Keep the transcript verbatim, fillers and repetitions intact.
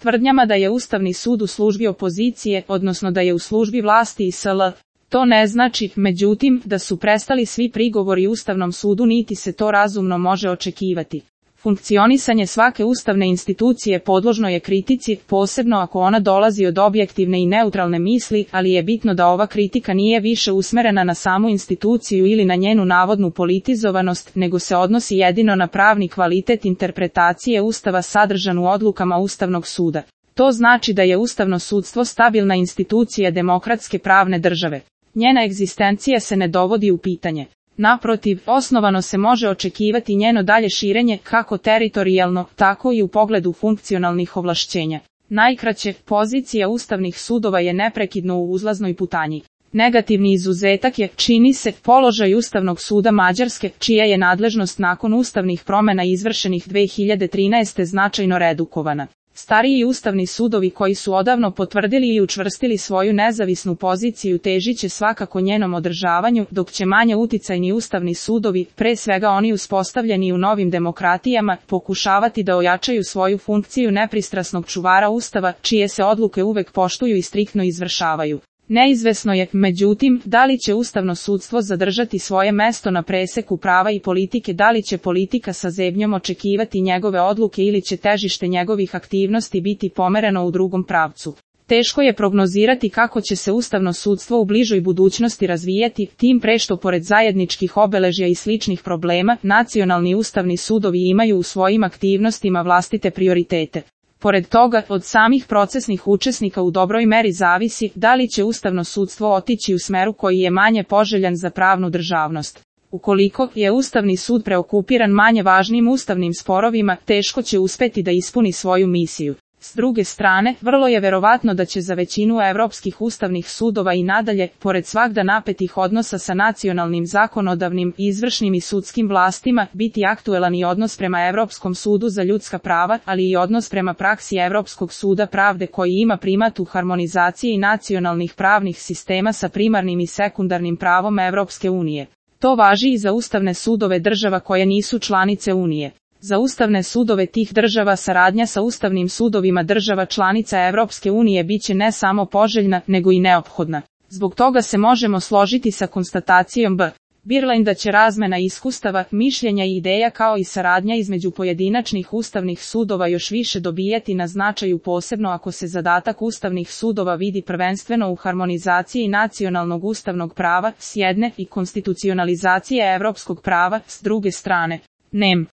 Tvrdnjama da je Ustavni sud u službi opozicije, odnosno da je u službi vlasti i sl. To ne znači, međutim, da su prestali svi prigovori Ustavnom sudu niti se to razumno može očekivati. Funkcionisanje svake ustavne institucije podložno je kritici, posebno ako ona dolazi od objektivne i neutralne misli, ali je bitno da ova kritika nije više usmerena na samu instituciju ili na njenu navodnu politizovanost, nego se odnosi jedino na pravni kvalitet interpretacije Ustava sadržan u odlukama Ustavnog suda. To znači da je ustavno sudstvo stabilna institucija demokratske pravne države. Njena egzistencija se ne dovodi u pitanje. Naprotiv, osnovano se može očekivati njeno dalje širenje kako teritorijalno, tako i u pogledu funkcionalnih ovlašćenja. Najkraće, pozicija ustavnih sudova je neprekidno u uzlaznoj putanji. Negativni izuzetak je, čini se, položaj Ustavnog suda Mađarske, čija je nadležnost nakon ustavnih promjena izvršenih dve hiljade trinaeste. značajno redukovana. Stariji ustavni sudovi koji su odavno potvrdili i učvrstili svoju nezavisnu poziciju težit će svakako njenom održavanju, dok će manje uticajni ustavni sudovi, pre svega oni uspostavljeni u novim demokratijama, pokušavati da ojačaju svoju funkciju nepristrasnog čuvara Ustava, čije se odluke uvek poštuju i striktno izvršavaju. Neizvesno je, međutim, da li će ustavno sudstvo zadržati svoje mesto na preseku prava i politike, da li će politika sa zebnjom očekivati njegove odluke ili će težište njegovih aktivnosti biti pomereno u drugom pravcu. Teško je prognozirati kako će se ustavno sudstvo u bližoj budućnosti razvijati, tim pre što pored zajedničkih obeležja i sličnih problema, nacionalni ustavni sudovi imaju u svojim aktivnostima vlastite prioritete. Pored toga, od samih procesnih učesnika u dobroj meri zavisi da li će ustavno sudstvo otići u smeru koji je manje poželjan za pravnu državnost. Ukoliko je Ustavni sud preokupiran manje važnim ustavnim sporovima, teško će uspeti da ispuni svoju misiju. S druge strane, vrlo je verovatno da će za većinu evropskih ustavnih sudova i nadalje, pored svagda napetih odnosa sa nacionalnim zakonodavnim, izvršnim i sudskim vlastima, biti aktuelan i odnos prema Evropskom sudu za ljudska prava, ali i odnos prema praksi Evropskog suda pravde koji ima primat u harmonizaciji nacionalnih pravnih sistema sa primarnim i sekundarnim pravom Evropske unije. To važi i za ustavne sudove država koje nisu članice Unije. Za ustavne sudove tih država saradnja sa ustavnim sudovima država članica Evropske unije biće ne samo poželjna, nego i neophodna. Zbog toga se možemo složiti sa konstatacijom B. Birland da će razmena iskustava, mišljenja i ideja kao i saradnja između pojedinačnih ustavnih sudova još više dobijati na značaju, posebno ako se zadatak ustavnih sudova vidi prvenstveno u harmonizaciji nacionalnog ustavnog prava s jedne i konstitucionalizacije evropskog prava s druge strane. Nem.